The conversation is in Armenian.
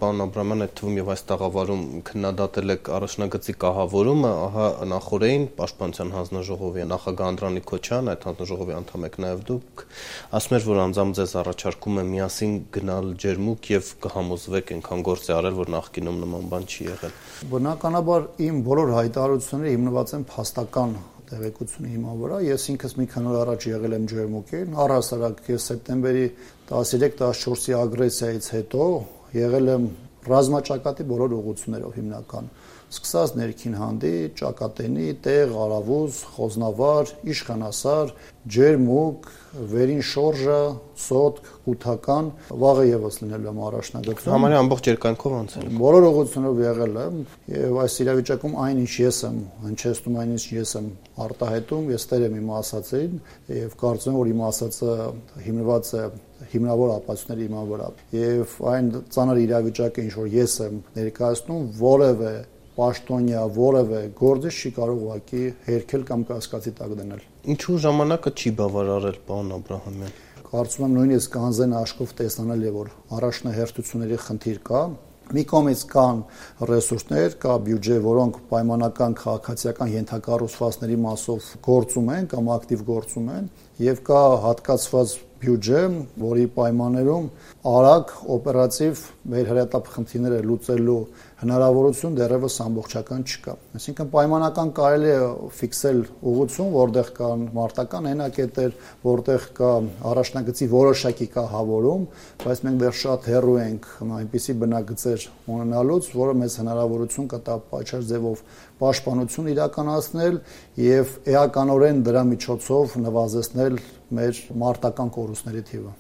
պարոն Աբրահամյան, այդ թվում եւ այս տաղավարում քննադատել եք առաջնագծի կահավորումը, ահա նախորդին Պաշտպանության հանձնաժողովի նախագահ Անդրանիկ Քոչարյան, այդ հանձնաժողովի անդամ եք նաեւ դուք, ասում էր, որ անձամբ ձեզ առաջարկում է միասին գնալ ջերմուկ եւ կհամոզվեք այնքան գործ է արել, որ նախկինում նման բան չի եղել։ Բնականաբար իմ բոլոր հայտարարությունները հիմնված են փաստական տեղեկությունի հիման վրա։ Ես ինքս մի քանի օր առաջ եղել եմ ջերմուկին, առհասարակ ես սեպտեմբերի 13-14-ի ագրեսիայից հետո եղել եմ ռազմաճակատի բոլոր ուղղություններով հիմնական, սկսած ներքին հանդի, ճակատենի, տեղ, արավուզ, խոզնավար, իշխանասար, ջերմուկ, վերին շորժը, սոտք, կութական, վաղը եւս լինել եմ առաջնագծում։ Համարյա ամբողջ երկայնքով անցել եք։ Բոլոր ուղղություններով եղել եմ եւ այս իրավիճակում այնինչ ես եմ հնչեցնում, այնինչ ես եմ արտահայտում, ես տեր եմ իմ ասածին եւ կարծում եմ, որ իմ ասածը հիմնված է հիմնավոր ապացույցների իման վրա եւ այն ծանր իրավիճակը, ինչ որ ես եմ ներկայացնում, որևէ պաշտոնյա, որևէ գործիչ չի կարող ուղղակի հերքել կամ կասկածի տակ դնել։ Ինչու ժամանակը չի բավարարել, պարոն Աբրահամյան։ Կարծում եմ նույնիսկ անձեն աշխով տեսանելի է, որ առաջնահերթությունների խնդիր կա։ Մի կողմից կան ռեսուրսներ, կա բյուջե, որոնք պայմանական քաղաքացիական ենթակառուցվածքների մասով գործում են կամ ակտիվ գործում են, եւ կա հատկացված բյուջե, որի պայմաններում արագ օպերատիվ մեր հրետապ խնդիրները լուծելու հնարավորություն դեռևս ամբողջական չկա։ Այսինքն պայմանական կարելի է ֆիքսել ուղղություն, որտեղ կան մարտական հենակետեր, որտեղ կա առաջնագծի որոշակի կահավորում, բայց մենք դեռ շատ հեռու ենք այնպիսի բնագծեր ունենալուց, որը մեզ հնարավորություն կտա պատշաճ ձևով պաշտպանություն իրականացնել եւ էականորեն դրա միջոցով նվազեցնել մեր մարտական կորուստների թիվը։